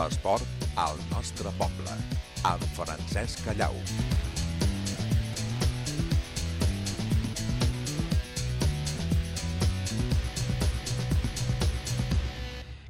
L'esport al nostre poble, amb Francesc Callau.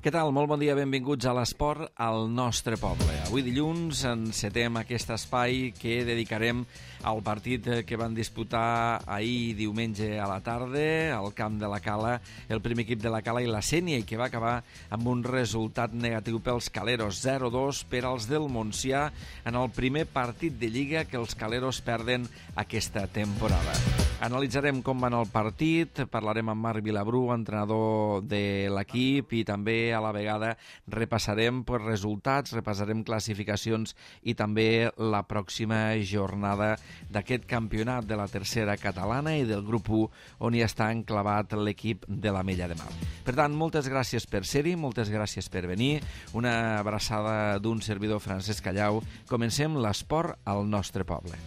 Què tal? Molt bon dia, benvinguts a l'esport al nostre poble. Avui dilluns encetem aquest espai que dedicarem al partit que van disputar ahir diumenge a la tarda al camp de la Cala, el primer equip de la Cala i la Sénia, i que va acabar amb un resultat negatiu pels caleros, 0-2 per als del Montsià en el primer partit de Lliga que els caleros perden aquesta temporada. Analitzarem com va anar el partit, parlarem amb Marc Vilabrú, entrenador de l'equip, i també a la vegada repassarem resultats, repassarem classificacions i també la pròxima jornada d'aquest campionat de la tercera catalana i del grup 1 on hi està enclavat l'equip de l'Ametlla de Mar. Per tant, moltes gràcies per ser-hi, moltes gràcies per venir, una abraçada d'un servidor Francesc Callau. Comencem l'esport al nostre poble.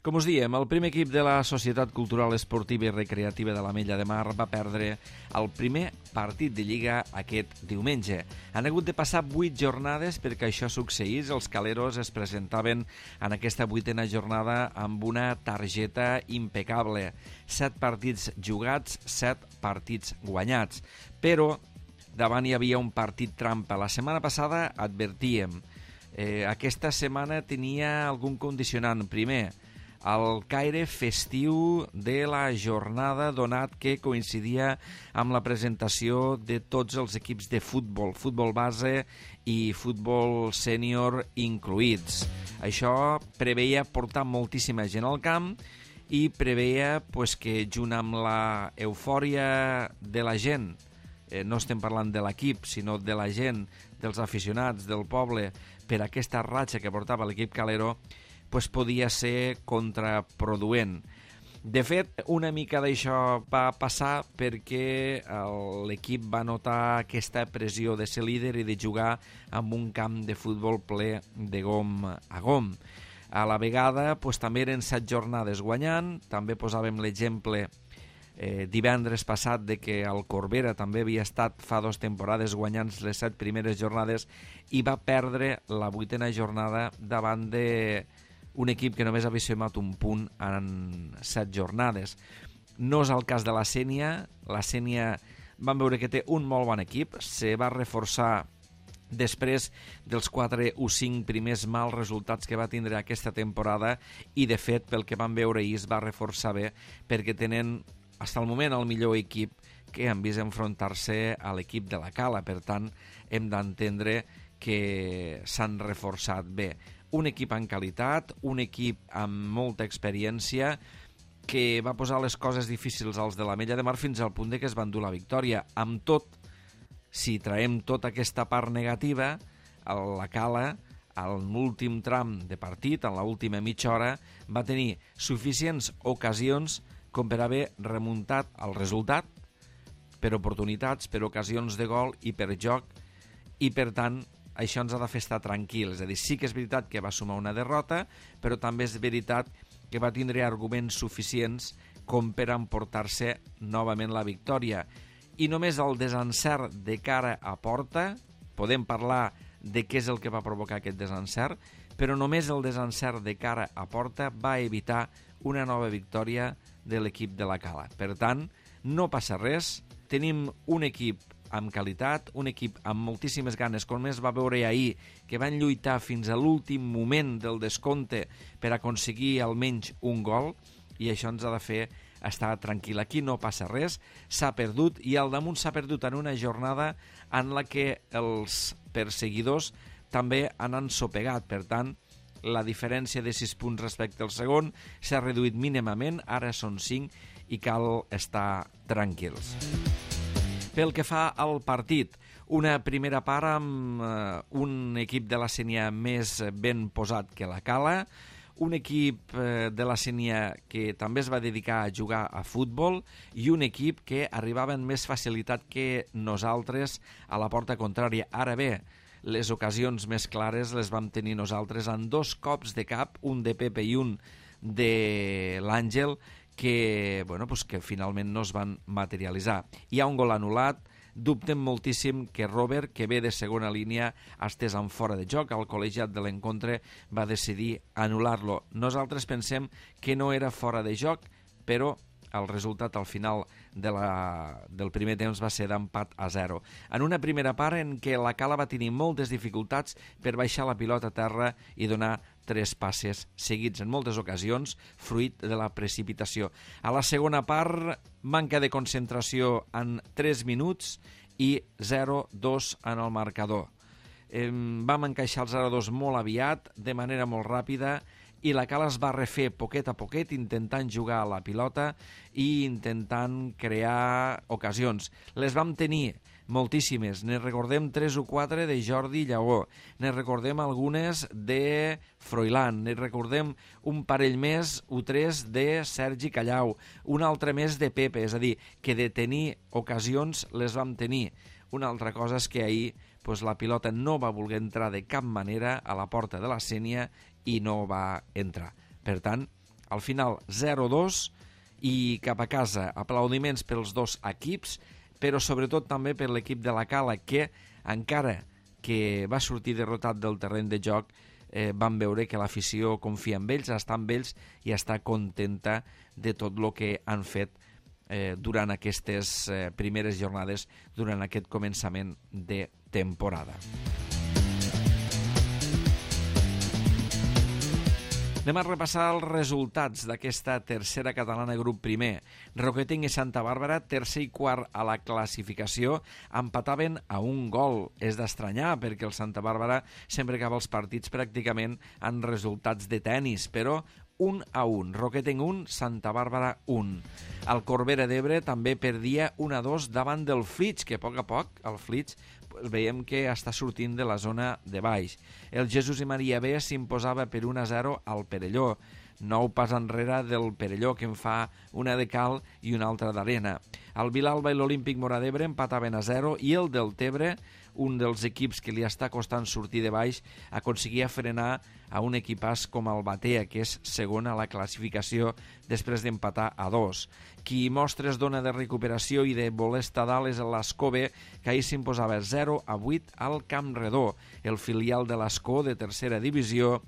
Com us diem, el primer equip de la Societat Cultural Esportiva i Recreativa de l'Ametlla de Mar va perdre el primer partit de Lliga aquest diumenge. Han hagut de passar 8 jornades perquè això succeís. Els caleros es presentaven en aquesta 8ª jornada amb una targeta impecable. 7 partits jugats, 7 partits guanyats. Però davant hi havia un partit trampa. La setmana passada advertíem. Aquesta setmana tenia algun condicionant. Primer, el caire festiu de la jornada, donat que coincidia amb la presentació de tots els equips de futbol, futbol base i futbol sènior incluïts. Això preveia portar moltíssima gent al camp i preveia que junt amb la eufòria de la gent, no estem parlant de l'equip, sinó de la gent, dels aficionats, del poble, per aquesta ratxa que portava l'equip calero, podia ser contraproduent. De fet, una mica d'això va passar perquè l'equip va notar aquesta pressió de ser líder i de jugar amb un camp de futbol ple de gom a gom. A la vegada, també eren 7 jornades guanyant, també posàvem l'exemple divendres passat de que el Corbera també havia estat fa 2 temporades guanyant les 7 primeres jornades i va perdre la 8ª jornada davant de un equip que només havia sumat un punt en 7 jornades. No és el cas de la Sénia. La Sénia vam veure que té un molt bon equip, se va reforçar després dels 4 o 5 primers mals resultats que va tindre aquesta temporada i, de fet, pel que vam veure ahir es va reforçar bé perquè tenen, fins al moment, el millor equip que han vist enfrontar-se a l'equip de la Cala. Per tant, hem d'entendre que s'han reforçat bé. Un equip en qualitat, un equip amb molta experiència que va posar les coses difícils als de l'Ametlla de Mar fins al punt que es van dur la victòria. Amb tot, si traiem tota aquesta part negativa, la Cala, en l'últim tram de partit, en l'última mitja hora, va tenir suficients ocasions com per haver remuntat el resultat, per oportunitats, per ocasions de gol i per joc, i per tant això ens ha de fer estar tranquils. És a dir, sí que és veritat que va sumar una derrota, però també és veritat que va tindre arguments suficients com per emportar-se novament la victòria. I només el desencert de cara a porta, podem parlar de què és el que va provocar aquest desencert, però només el desencert de cara a porta va evitar una nova victòria de l'equip de la Cala. Per tant, no passa res, tenim un equip amb qualitat, un equip amb moltíssimes ganes, com es va veure ahir, que van lluitar fins a l'últim moment del descompte per aconseguir almenys un gol, i això ens ha de fer estar tranquil. Aquí no passa res, s'ha perdut, i al damunt s'ha perdut en una jornada en la que els perseguidors també han ensopegat. Per tant, la diferència de 6 punts respecte al segon s'ha reduït mínimament, ara són 5 i cal estar tranquils. Pel que fa al partit, una primera part amb un equip de la Sénia més ben posat que la Cala, un equip de la Sénia que també es va dedicar a jugar a futbol i un equip que arribava amb més facilitat que nosaltres a la porta contrària. Ara bé, les ocasions més clares les vam tenir nosaltres en dos cops de cap, un de Pepe i un de l'Àngel que finalment no es van materialitzar. Hi ha un gol anul·lat. Dubtem moltíssim que Robert, que ve de segona línia, estès en fora de joc. El col·legiat de l'encontre va decidir anul·lar-lo. Nosaltres pensem que no era fora de joc, però el resultat al final del primer temps va ser d'empat a 0. En una primera part en què la Cala va tenir moltes dificultats per baixar la pilota a terra i donar 3 passes seguits en moltes ocasions, fruit de la precipitació. A la segona part, manca de concentració en 3 minuts i 0-2 en el marcador. Vam encaixar el 0-2 molt aviat, de manera molt ràpida, i la Cala es va refer poquet a poquet intentant jugar a la pilota i intentant crear ocasions. Les vam tenir moltíssimes, ne recordem 3 o 4 de Jordi Lleó, ne recordem algunes de Froilán, ne recordem un parell més o 3 de Sergi Callau, un altre més de Pepe, és a dir, que de tenir ocasions les vam tenir. Una altra cosa és que ahir la pilota no va voler entrar de cap manera a la porta de la Sénia i no va entrar. Per tant, al final 0-2 i cap a casa aplaudiments pels dos equips, però sobretot també per l'equip de la Cala, que encara que va sortir derrotat del terreny de joc, van veure que l'afició confia en ells, està amb ells i està contenta de tot el que han fet durant aquestes primeres jornades, durant aquest començament de temporada. Anem a repassar els resultats d'aquesta tercera catalana grup primer. Roqueting i Santa Bàrbara, tercer i quart a la classificació, empataven a un gol. És d'estranyar perquè el Santa Bàrbara sempre acaba els partits pràcticament en resultats de tennis, però 1-1. Roqueting 1, Santa Bàrbara 1. El Corbera d'Ebre també perdia 1-2 davant del Flix, que a poc el Flix veiem que està sortint de la zona de baix. El Jesús i Maria B s'imposava per 1-0 al Perelló. 9 pas enrere del Perelló, que en fa una de cal i una altra d'arena. El Vilalba i l'Olímpic Móra d'Ebre empataven a 0 i el Deltebre, un dels equips que li està costant sortir de baix, aconseguia frenar a un equipàs com el Batea, que és segon a la classificació després d'empatar a 2. Qui mostres dona de recuperació i de voler estar dalt és l'Escove, que ahir s'imposava 0-8 al Camp Redó. El filial de l'Escó, de tercera divisió,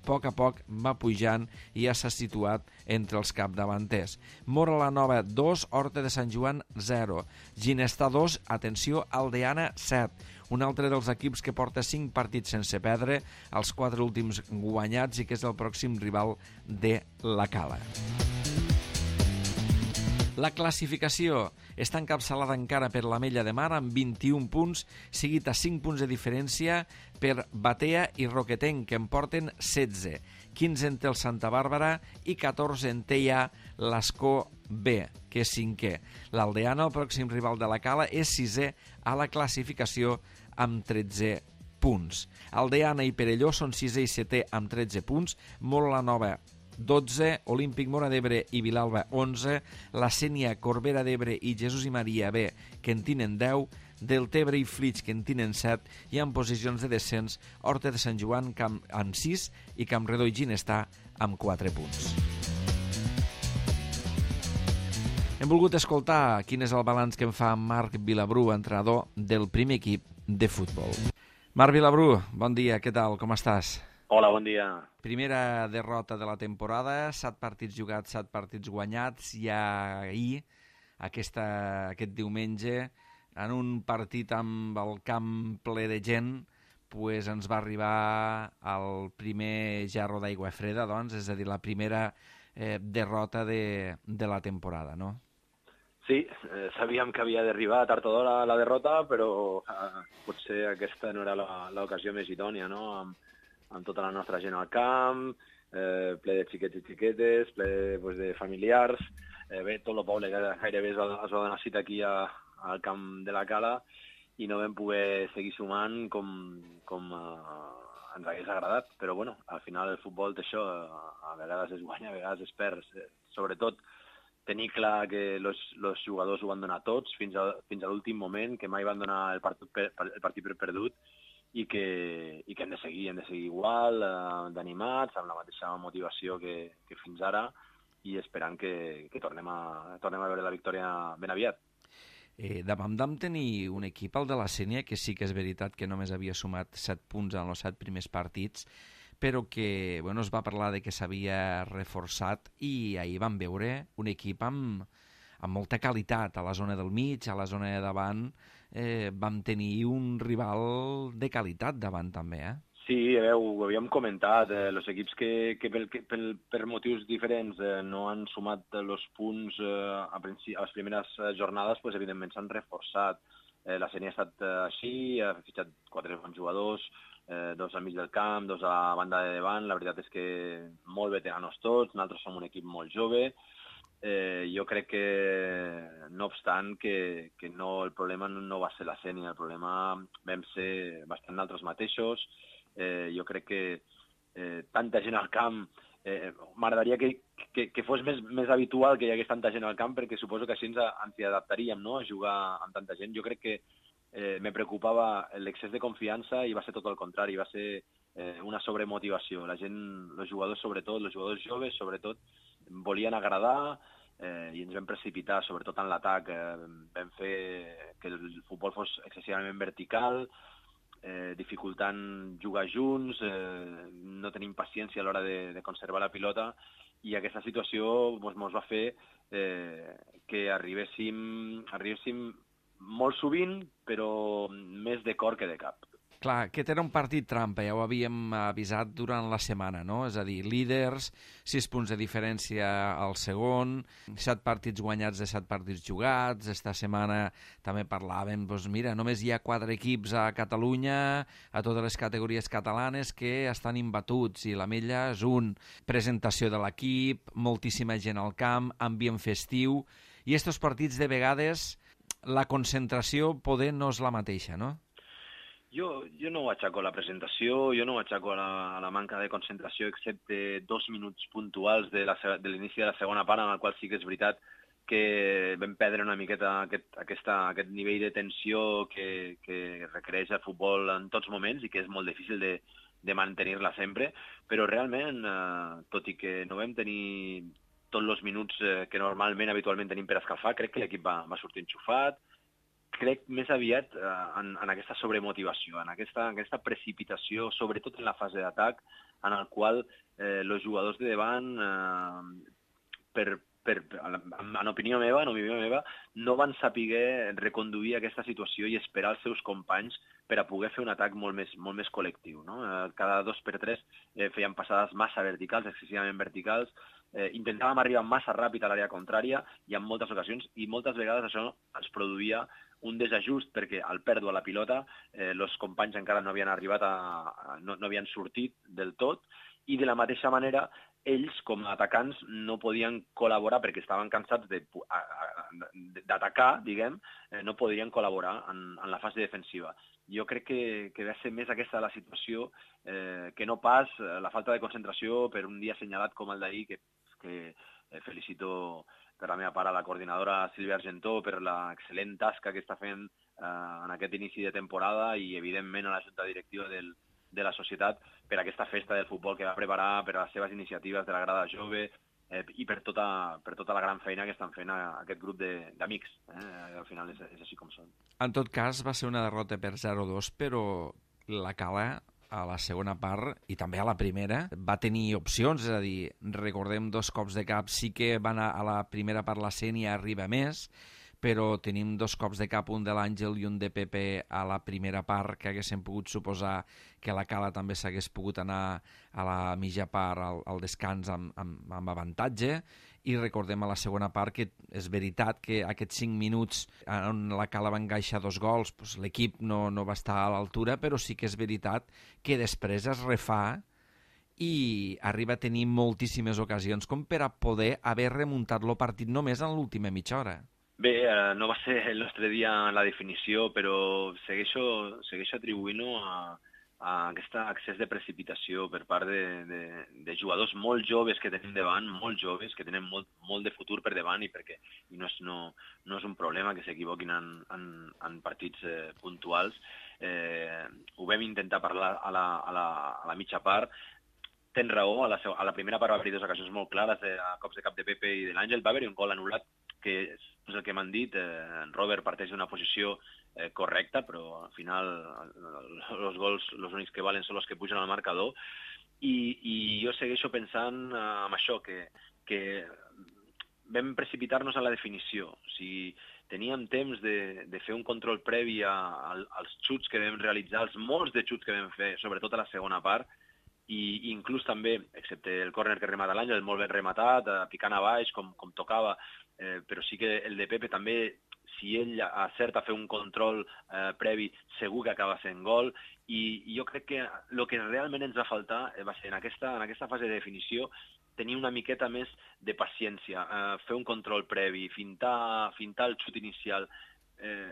a poc va pujant i ja s'ha situat entre els capdavanters. Mora la Nova 2, Horta de Sant Joan 0. Ginestar 2, atenció, Aldeana 7. Un altre dels equips que porta 5 partits sense perdre, els 4 últims guanyats i que és el pròxim rival de la Cala. La classificació està encapçalada encara per l'Ametlla de Mar amb 21 punts, seguit a 5 punts de diferència per Batea i Roquetenc, que en porten 16. 15 en té el Santa Bàrbara i 14 en té ja l'Escó B, que és 5è. L'Aldeana, el pròxim rival de la Cala, és 6è a la classificació amb 13 punts. Aldeana i Perelló són 6è i 7è amb 13 punts, Mora la Nova 12, Olímpic Móra d'Ebre i Vilalba 11, la Sénia, Corbera d'Ebre i Jesús i Maria B, que en tenen 10, Deltebre i Flix, que en tenen 7, i en posicions de descens Horta de Sant Joan amb 6 i Campredó i Ginestar amb 4 punts. Hem volgut escoltar quin és el balanç que en fa Marc Vilabru, entrenador del primer equip de futbol. Marc Vilabru, bon dia, què tal, com estàs? Hola, bon dia. Primera derrota de la temporada, 7 partits jugats, 7 partits guanyats, i ahir, aquest diumenge, en un partit amb el camp ple de gent, ens va arribar el primer gerro d'aigua freda, doncs, és a dir, la primera derrota de la temporada, no? Sí, sabíem que havia d'arribar tard o d'hora la derrota, però potser aquesta no era l'ocasió més idònia, no? Amb tota la nostra gent al camp, ple de xiquets i xiquetes, ple de familiars, tot el poble que gairebé es va donar cita aquí al camp de la Cala i no vam poder seguir sumant com ens hagués agradat, però bueno, al final el futbol té això, a vegades es guanya, a vegades es perd, sobretot tenir clar que els jugadors ho van donar tots fins a l'últim moment, que mai van donar el partit per perdut, i que hem de seguir igual, d'animats, amb la mateixa motivació que fins ara, i esperant que tornem a veure la victòria ben aviat. Davant vam tenir un equip, el de la Sénia, que sí que és veritat que només havia sumat 7 punts en els 7 primers partits, però que es va parlar de que s'havia reforçat, i ahir vam veure un equip amb molta qualitat a la zona del mig, a la zona de davant. Vam tenir un rival de qualitat davant també, Sí, ho havíem comentat, els equips que per motius diferents no han sumat els punts a les primeres jornades, pues, evidentment s'han reforçat. La Sénia ha estat així, ha fitxat 4 bons jugadors, 2 al mig del camp, 2 a la banda de davant. La veritat és que molt veteranos tots, nosaltres som un equip molt jove. Jo crec que, no obstant, que no, el problema no va ser la Sénia, el problema vam ser bastant nosaltres mateixos. Jo crec que tanta gent al camp, m'agradaria que fos més habitual que hi hagués tanta gent al camp, perquè suposo que així ens hi adaptaríem, no?, a jugar amb tanta gent. Jo crec que me preocupava l'excés de confiança i va ser tot el contrari, va ser una sobremotivació. La gent, els jugadors sobretot, els jugadors joves sobretot, volien agradar, i ens vam precipitar, sobretot en l'atac. Vam fer que el futbol fos excessivament vertical, dificultant jugar junts, no tenim paciència a l'hora de conservar la pilota, i aquesta situació ens va fer que arribéssim molt sovint, però més de cor que de cap. Clar, aquest era un partit trampa, ja ho havíem avisat durant la setmana, no? És a dir, líders, 6 punts de diferència al segon, 7 partits guanyats de 7 partits jugats. Esta setmana també parlàvem, mira, només hi ha 4 equips a Catalunya, a totes les categories catalanes, que estan imbatuts, i l'Ametlla és un. Presentació de l'equip, moltíssima gent al camp, ambient festiu, i estos partits de vegades la concentració poder no és la mateixa, no? Jo no ho achaco a la presentació, jo no ho achaco a la manca de concentració, excepte 2 minuts puntuals de l'inici de la segona part, en el qual sí que és veritat que vam perdre una miqueta aquest nivell de tensió que requereix el futbol en tots moments i que és molt difícil de mantenir-la sempre, però realment, tot i que no vam tenir tots els minuts que normalment, habitualment tenim per escalfar, crec que l'equip va sortir enxufat. Crec més aviat en aquesta sobremotivació, en aquesta precipitació, sobretot en la fase d'atac, en el qual els jugadors de davant, en opinió meva, no van saber reconduir aquesta situació i esperar els seus companys per a poder fer un atac molt més col·lectiu, no? Cada 2 per 3 feien passades massa verticals, excessivament verticals, intentàvem arribar massa ràpid a l'àrea contrària, i en moltes ocasions, i moltes vegades això ens produïa un desajust, perquè al pèrdua la pilota els companys encara no havien arribat, no havien sortit del tot, i de la mateixa manera ells, com a atacants, no podien col·laborar perquè estaven cansats d'atacar, diguem, no podien col·laborar en la fase defensiva. Jo crec que va ser més aquesta la situació que no pas la falta de concentració per un dia assenyalat com el d'ahir, que felicito per la meva part a la coordinadora Sílvia Argentó per l'excel·lent tasca que està fent en aquest inici de temporada, i evidentment a la junta directiva de la societat per aquesta festa del futbol que va preparar, per les seves iniciatives de la grada jove, i per tota la gran feina que estan fent aquest grup d'amics. Al final és així com són. En tot cas, va ser una derrota per 0-2, però la Cala, a la segona part, i també a la primera, va tenir opcions, és a dir, recordem 2 cops de cap, sí que van a la primera part la Sénia arriba més, però tenim 2 cops de cap, un de l'Àngel i un de Pepe a la primera part, que haguessin pogut suposar que la Cala també s'hagués pogut anar a la mitja part al descans amb avantatge. I recordem a la segona part que és veritat que aquests 5 minuts on la Cala va encaixar 2 gols, doncs l'equip no va estar a l'altura, però sí que és veritat que després es refà i arriba a tenir moltíssimes ocasions com per a poder haver remuntat el partit només en l'última mitja hora. Bé, no va ser el nostre dia en la definició, però segueixo atribuint-ho a aquest excés de precipitació per part de jugadors molt joves que tenim davant, molt joves, que tenen molt de futur per davant i no és un problema que s'equivoquin en partits puntuals. Ho vam intentar parlar a la mitja part. Tens raó, a la primera part va haver-hi 2 ocasions molt clares, a cops de cap de Pepe i de l'Àngel. Va haver-hi un gol anul·lat, que és el que m'han dit. En Robert parteix d'una posició correcta, però al final els gols, els únics que valen són els que pugen al marcador. I jo segueixo pensant en això, que vam precipitar-nos a la definició. O sigui, teníem temps de fer un control previ als xuts que vam realitzar, els molts de xuts que vam fer, sobretot a la segona part, i inclús també, excepte el córner que remata l'Àngel, molt ben rematat, picant a baix, com tocava, però sí que el de Pepe també, si ell acerta a fer un control previ, segur que acaba sent gol, i jo crec que el que realment ens va faltar va ser en aquesta fase de definició tenir una miqueta més de paciència, fer un control previ, fintar el xut inicial.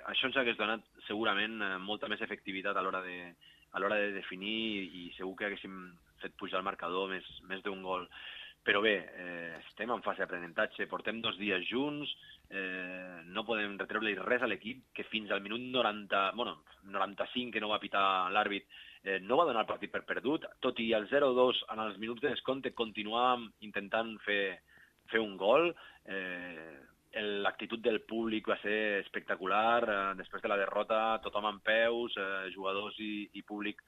Això ens hagués donat segurament molta més efectivitat a l'hora de definir i segur que haguéssim fet pujar el marcador més d'un gol. Però bé, estem en fase d'aprenentatge, portem 2 dies junts, no podem retreure res a l'equip, que fins al minut 95 que no va pitar l'àrbit, no va donar el partit per perdut, tot i el 0-2 en els minuts de descompte continuàvem intentant fer un gol. L'actitud del públic va ser espectacular, després de la derrota tothom en peus, jugadors i públic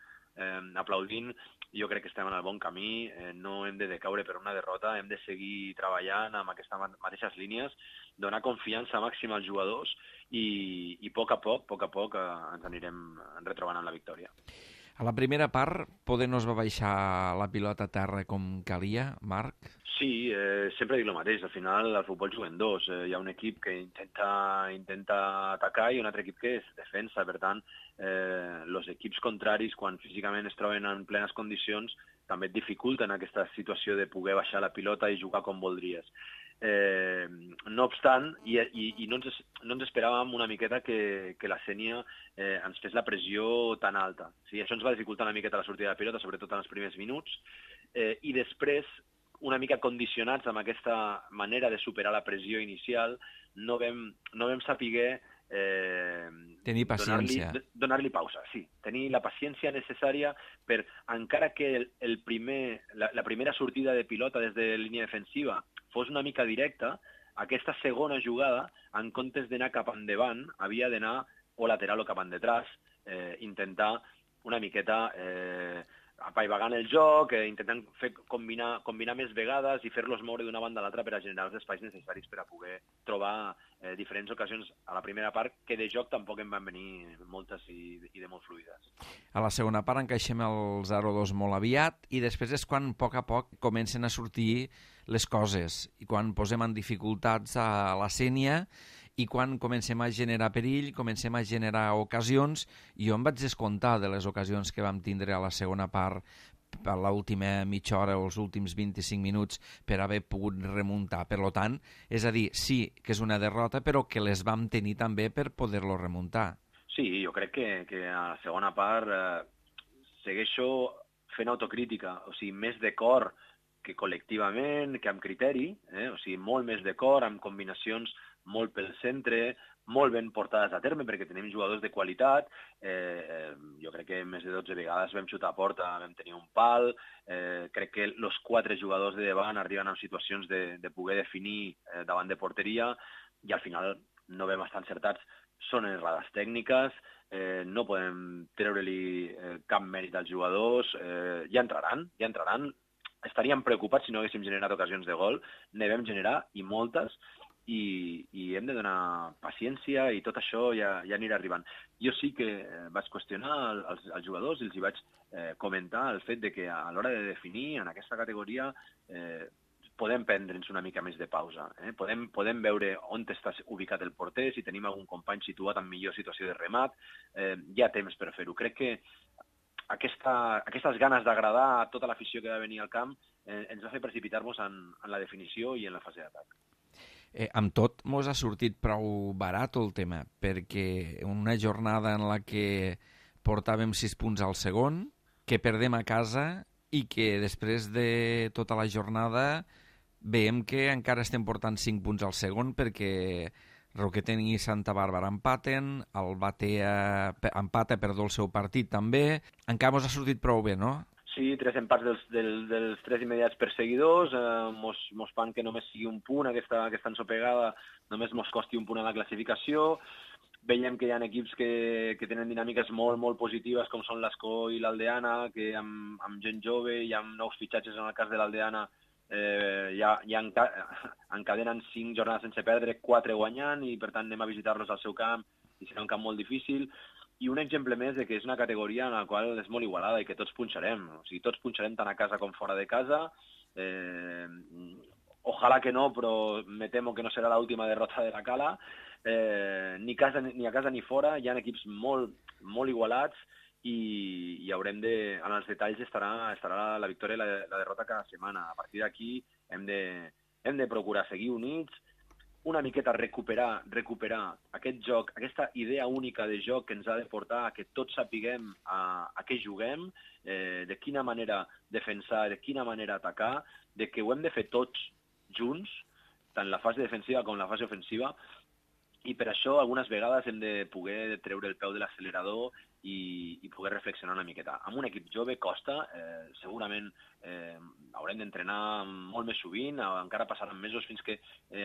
aplaudint. Jo crec que estem en el bon camí, no hem de decaure per una derrota, hem de seguir treballant amb aquestes mateixes línies, donar confiança màxima als jugadors i a poc a poc ens anirem retrobant amb la victòria. A la primera part, poder no es va baixar la pilota a terra com calia, Marc? Sí, sempre dic el mateix. Al final, al futbol juguen 2. Hi ha un equip que intenta atacar i un altre equip que es defensa. Per tant, els equips contraris, quan físicament es troben en plenes condicions, també et dificulten aquesta situació de poder baixar la pilota i jugar com voldries. No obstant, i no ens esperàvem una miqueta que la Sénia ens fes la pressió tan alta. Sí, això ens va dificultar una miqueta la sortida de pilota, sobretot en els primers minuts, i després, una mica condicionats amb aquesta manera de superar la pressió inicial, no vam saber tenir paciència. Donar-li pausa, sí. Tenir la paciència necessària per, encara que la primera sortida de pilota des de línia defensiva fos una mica directa, aquesta segona jugada, en comptes d'anar cap endavant, havia d'anar o lateral o cap endetrás, intentar una miqueta apaivagant el joc, intentant combinar més vegades i fer-los moure d'una banda a l'altra per a generar els espais necessaris per a poder trobar diferents ocasions a la primera part, que de joc tampoc en van venir moltes i de molt fluides. A la segona part encaixem el 0-2 molt aviat i després és quan a poc comencen a sortir les coses i quan posem en dificultats a la Sénia i quan comencem a generar perill, comencem a generar ocasions, i jo em vaig descomptar de les ocasions que vam tindre a la segona part, a l'última mitja hora o els últims 25 minuts per haver pogut remuntar. Per tant, és a dir, sí que és una derrota, però que les vam tenir també per poder-lo remuntar. Sí, jo crec que a la segona part segueixo fent autocrítica, o sigui, més de cor que col·lectivament, que amb criteri, o sigui, molt més de cor, amb combinacions molt pel centre, molt ben portades a terme, perquè tenim jugadors de qualitat. Jo crec que més de 12 vegades vam xutar a porta, vam tenir un pal. Crec que els 4 jugadors de davant arriben en situacions de poder definir davant de porteria i al final no vam estar encertats. Són errades tècniques, no podem treure-li cap mèrit als jugadors. Ja entraran. Estaríem preocupats si no haguéssim generat ocasions de gol. Ne vam generar, i moltes, i hem de donar paciència i tot això ja anirà arribant. Jo sí que vaig qüestionar als jugadors i els hi vaig comentar el fet de que a l'hora de definir en aquesta categoria podem prendre'ns una mica més de pausa. Podem veure on està ubicat el porter, si tenim algun company situat en millor situació de remat. Hi ha temps per fer-ho. Crec que aquestes ganes d'agradar a tota l'afició que va venir al camp ens va fer precipitar-nos en la definició i en la fase d'atac. Amb tot, mos ha sortit prou barat el tema, perquè una jornada en la que portàvem 6 punts al segon, que perdem a casa i que després de tota la jornada veiem que encara estem portant 5 punts al segon perquè Roquetent i Santa Bàrbara empaten, el Batea empata, el seu partit també. Encara mos ha sortit prou bé, no? Sí, 3 empats dels 3 immediats perseguidors, mos fan que només sigui un punt, aquesta ensopegada només mos costi un punt a la classificació. Veiem que hi ha equips que tenen dinàmiques molt, molt positives, com són l'Escó i l'Aldeana, que amb gent jove i amb nous fitxatges, en el cas de l'Aldeana, ja encadenen 5 jornades sense perdre, 4 guanyant, i per tant anem a visitar-los al seu camp, i serà un camp molt difícil. I un exemple més de que és una categoria en la qual és molt igualada i que tots punxarem. O sigui, tots punxarem tant a casa com fora de casa. Ojalà que no, però me temo que no serà l'última derrota de la Cala. Ni a casa ni fora. Hi ha equips molt, molt igualats i haurem de... En els detalls estarà la victòria i la derrota cada setmana. A partir d'aquí hem de procurar seguir units, una miqueta recuperar aquest joc, aquesta idea única de joc que ens ha de portar a que tots sapiguem a què juguem, de quina manera defensar, de quina manera atacar, de que ho hem de fer tots junts, tant la fase defensiva com la fase ofensiva, i per això algunes vegades hem de poder treure el peu de l'accelerador i poder reflexionar una miqueta. Amb un equip jove costa, segurament haurem d'entrenar molt més sovint, encara passaran mesos fins que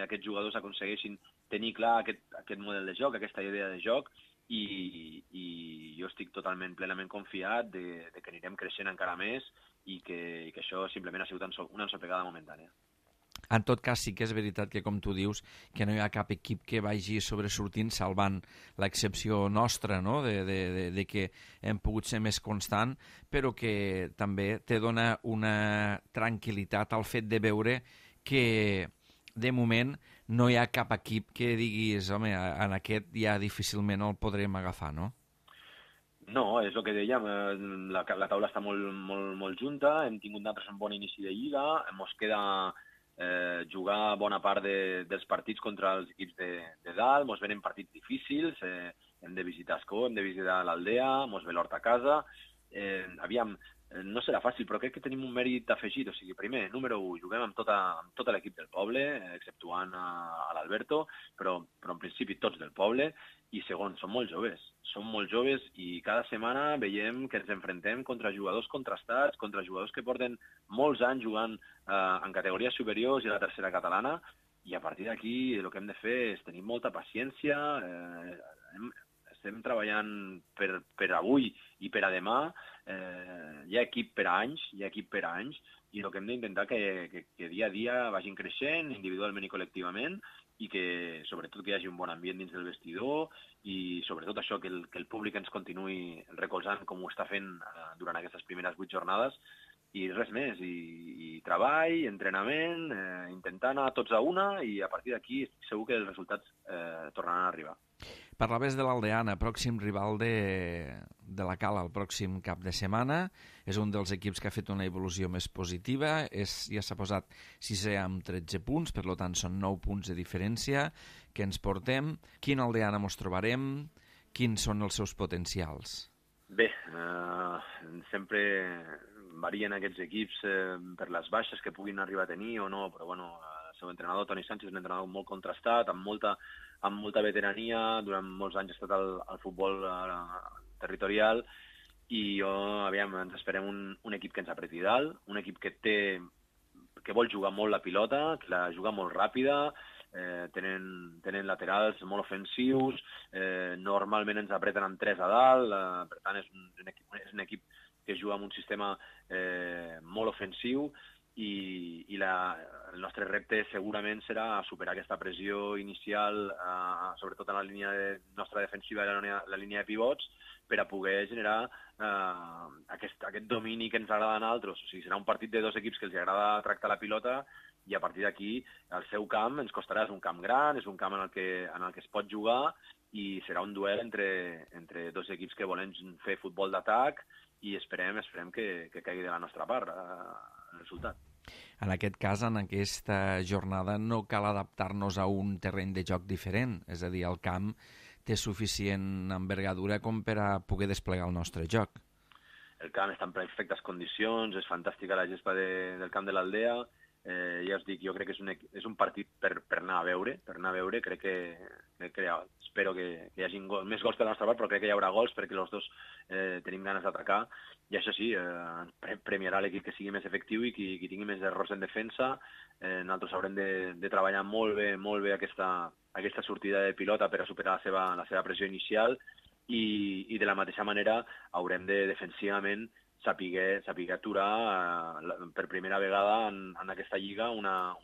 aquests jugadors aconsegueixin tenir clar aquest model de joc, aquesta idea de joc, i jo estic plenament confiat de que anirem creixent encara més i que això simplement ha sigut una ensopegada momentània. En tot cas, sí que és veritat que, com tu dius, que no hi ha cap equip que vagi sobresortint salvant l'excepció nostra, no?, de que hem pogut ser més constant, però que també te dona una tranquil·litat al fet de veure que, de moment, no hi ha cap equip que diguis, home, en aquest ja difícilment el podrem agafar, no? No, és el que dèiem, la taula està molt junta, hem tingut un bon inici de lliga, ens queda jugar bona part dels partits contra els equips de dalt, ens venen partits difícils, hem de visitar Escó, hem de visitar l'Aldea, ens ve l'Hort a casa, aviam, no serà fàcil, però crec que tenim un mèrit afegit, o sigui, primer, número 1, juguem amb tot l'equip del poble, exceptuant a l'Alberto, però en principi tots del poble, i segon, som molt joves i cada setmana veiem que ens enfrontem contra jugadors contrastats, contra jugadors que porten molts anys jugant en categories superiors i a la tercera catalana, i a partir d'aquí el que hem de fer és tenir molta paciència, estem treballant per avui i per a demà, hi ha equip per a anys, i el que hem d'intentar que dia a dia vagin creixent, individualment i col·lectivament, i que sobretot que hi hagi un bon ambient dins del vestidor i sobretot això, que el públic ens continuï recolzant com ho està fent durant aquestes primeres 8 jornades, i res més, i treball, entrenament, intentar anar tots a una, i a partir d'aquí segur que els resultats tornaran a arribar. Parlaves de l'Aldeana, pròxim rival de la Cala el pròxim cap de setmana. És un dels equips que ha fet una evolució més positiva. Ja s'ha posat 6è amb 13 punts, per tant són 9 punts de diferència que ens portem. Quin Aldeana mos trobarem? Quins són els seus potencials? Bé, sempre varien aquests equips per les baixes que puguin arribar a tenir o no, però bueno, el seu entrenador, Toni Sánchez, és un entrenador molt contrastat, amb molta veterania, durant molts anys ha estat al futbol territorial, i ens esperem un equip que ens apreti dalt, un equip que vol jugar molt la pilota, que la juga molt ràpida, tenen laterals molt ofensius, normalment ens apreten amb 3 a dalt, per tant és un equip que juga amb un sistema molt ofensiu, i el nostre repte segurament serà superar aquesta pressió inicial, sobretot en la línia nostra defensiva i la línia de pivots, per a poder generar aquest domini que ens agrada a nosaltres. O sigui, serà un partit de 2 equips que els agrada tractar la pilota, i a partir d'aquí el seu camp ens costarà, és un camp gran, és un camp en el que es pot jugar, i serà un duel entre 2 equips que volen fer futbol d'atac, i esperem que caigui de la nostra part el resultat. En aquest cas, en aquesta jornada, no cal adaptar-nos a un terreny de joc diferent, és a dir, el camp té suficient envergadura com per a poder desplegar el nostre joc. el camp està en perfectes condicions, és fantàstica la gespa del camp de l'Aldea. Ja us dic, jo crec que és un partit per anar a veure, crec que espero que hi hagi més gols per la nostra part, però crec que hi haurà gols perquè els dos tenim ganes d'atacar, i això sí, premiarà l'equip que sigui més efectiu i qui tingui més errors en defensa. Nosaltres haurem de treballar molt bé aquesta sortida de pilota per a superar la seva pressió inicial, i de la mateixa manera haurem de defensivament saber aturar per primera vegada en aquesta lliga una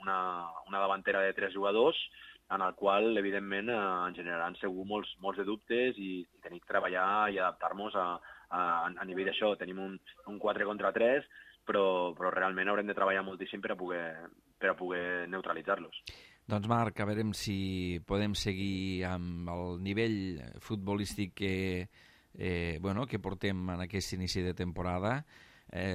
davantera de 3 jugadors, en el qual, evidentment, ens generaran segur molts de dubtes, i tenim que treballar i adaptar-nos a nivell d'això. Tenim un 4 contra 3, però realment haurem de treballar moltíssim per a poder neutralitzar-los. Doncs Marc, a veure si podem seguir amb el nivell futbolístic que portem en aquest inici de temporada.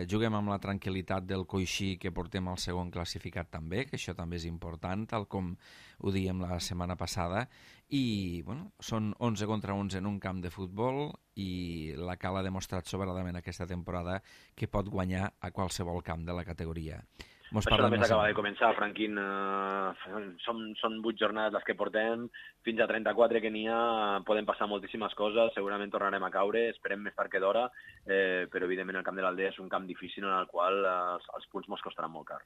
Juguem amb la tranquil·litat del coixí que portem al segon classificat també, que això també és important, tal com ho diem la setmana passada, i són 11 contra 11 en un camp de futbol, i la Cala ha demostrat sobradament aquesta temporada que pot guanyar a qualsevol camp de la categoria. Això només acaba de començar, Franquín. Són 8 jornades les que portem, fins a 34 que n'hi ha, poden passar moltíssimes coses, segurament tornarem a caure, esperem més tard que d'hora, però evidentment el camp de l'Aldea és un camp difícil en el qual els punts mos costaran molt car.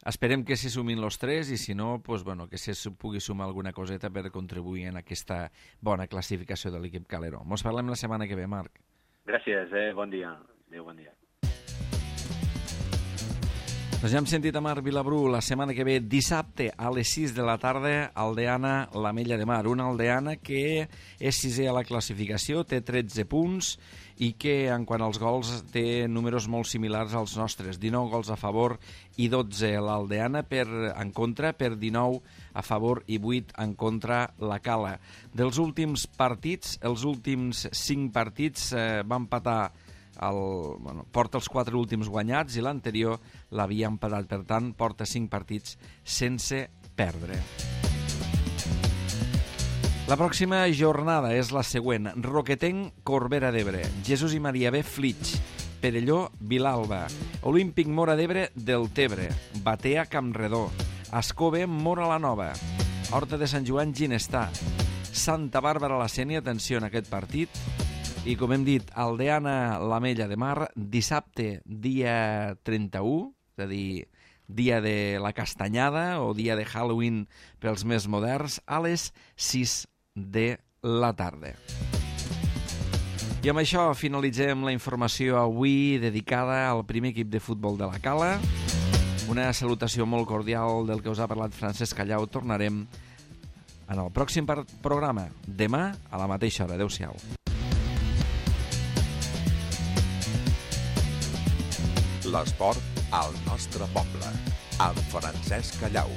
Esperem que se sumin els 3, i si no, que se pugui sumar alguna coseta per contribuir en aquesta bona classificació de l'equip Calero. Mos parlem la setmana que ve, Marc. Gràcies, bon dia. Adéu, bon dia. Doncs ja hem sentit a Marc Vilabrú. La setmana que ve, dissabte a les 6 de la tarda, Aldeana, l'Ametlla de Mar. Una Aldeana que és 6è a la classificació, té 13 punts, i que en quant als gols té números molt similars als nostres. 19 gols a favor i 12 l'Aldeana en contra, per 19 a favor i 8 en contra la Cala. Dels últims partits, els últims 5 partits va empatar porta els 4 últims guanyats, i l'anterior l'havia empatat, per tant porta 5 partits sense perdre. La pròxima jornada és la següent: Roquetenc, Corbera d'Ebre, Jesús i Maria B, Flix, Perelló, Vilalba, Olímpic Móra d'Ebre, Deltebre, Batea, Campredó, Ascó B, Móra la Nova, Horta de Sant Joan, Ginestar, Santa Bàrbara la Sénia, atenció en aquest partit, i com hem dit, Aldeana, l'Ametlla de Mar, dissabte, dia 31, és a dir, dia de la castanyada o dia de Halloween pels més moderns, a les 6 de la tarda. I amb això finalitzem la informació avui dedicada al primer equip de futbol de la Cala. Una salutació molt cordial del que us ha parlat Francesc Callau. Tornarem en el pròxim programa, demà a la mateixa hora. Adéu-siau. L'esport al nostre poble, amb Francesc Callau.